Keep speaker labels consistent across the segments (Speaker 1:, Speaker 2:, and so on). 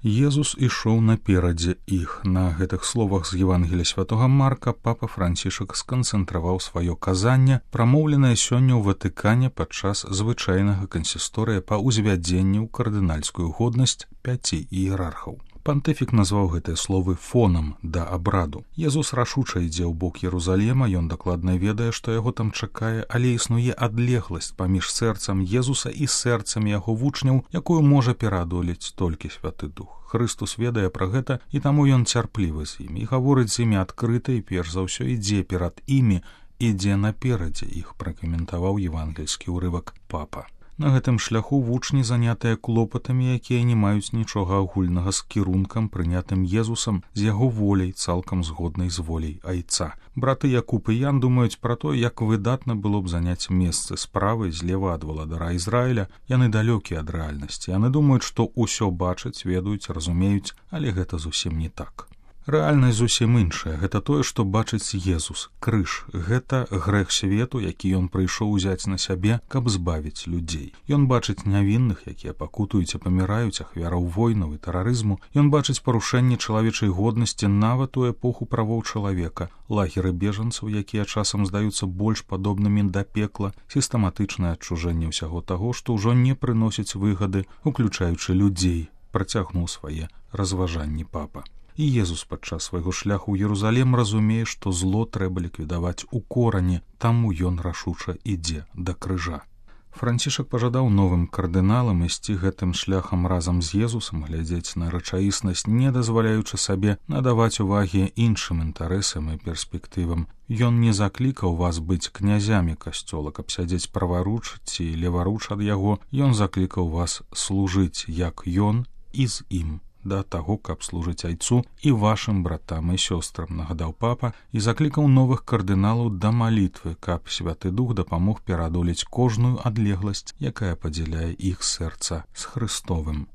Speaker 1: Езус ішоў наперадзе іх. На гэтых словах з Евангелія святога Марка папа Францішак сканцэнтраваў сваё казанне, прамоўленае сёння ў Ватыкане падчас звычайнага кансісторыя па ўзвядзенні ў кардынальскую годнасць 5 іерархаў. Пантыфік назваў гэтыя словы фонам да абраду. Езус рашуча ідзе ў бок Єрусалема, ён дакладна ведае, што яго там чакае, але існуе адлегласць паміж сэрцам Езуса і сэрцамі яго вучняў, якую можа пераадолець толькі Святы Дух. Хрыстус ведае пра гэта, і таму ён цярплівы з імі, і гаворыць з імі адкрыта, і перш за ўсё ідзе перад імі, ідзе наперадзе іх, пракаментаваў евангельскі ўрывак папа. На гэтым шляху вучні занятыя клопатамі, якія не маюць нічога агульнага з кірункам, прынятым Езусам, з яго воляй, цалкам згоднай з воляй Айца. Браты Якуб і Ян думаюць пра то, як выдатна было б заняць месцы справа і злева ад валадара Ізраіля. Яны далёкія ад рэальнасці. Яны думаюць, што ўсё бачаць, ведаюць, разумеюць, але гэта зусім не так. Рэальнасць зусім іншая. Гэта тое, што бачыць Езус, крыж. Гэта грэх свету, які ён прыйшоў узяць на сябе, каб збавіць людзей. Ён бачыць нявінных, якія пакутуюць і паміраюць, ахвяраў войнаў і тэрарызму. Ён бачыць парушэнне чалавечай годнасці нават у эпоху правоў чалавека, лагеры бежанцаў, якія часам здаюцца больш падобнымі да пекла, сістэматычнае адчужэнне ўсяго таго, што ўжо не прыносіць выгады, уключаючы людзей, працягнуў свае разважанні папа. І Езус падчас свайго шляху ў Єрусалем разумее, што зло трэба ліквідаваць у корані, таму ён рашуча ідзе да крыжа. Францішак пажадаў новым кардыналам ісці гэтым шляхам разам з Езусам, глядзець на рэчаіснасць, не дазваляючы сабе надаваць увагі іншым інтарэсам і перспектывам. Ён не заклікаў вас быць князямі касцёла, каб сядзець праваруч ці леваруч ад яго. Ён заклікаў вас служыць, як ён, і з ім, да таго, каб служыць Айцу і вашым братам і сёстрам, нагадаў папа, і заклікаў новых кардыналаў да малітвы, каб Святы Дух дапамог пераадолець кожную адлегласць, якая падзяляе іх сэрца з Хрыстовым.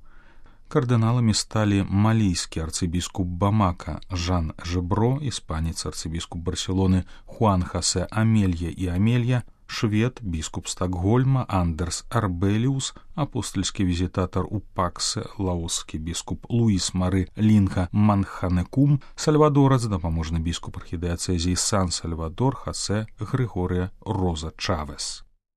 Speaker 1: Кардыналамі сталі малійскі арцыбіскуп Бамака Жан Жебро, іспанец арцыбіскуп Барселоны Хуан Хосе Амелья і Амелья, швед, біскуп Стокгольма Андерс Арбеліус, апостольскі візітатар у Паксе, лаоскі біскуп Луіс Мары Лінха Манханекум, сальвадорац, дапаможны біскуп архідыяцэзіі Сан-Сальвадор Хосе Григорія Роза Чавес.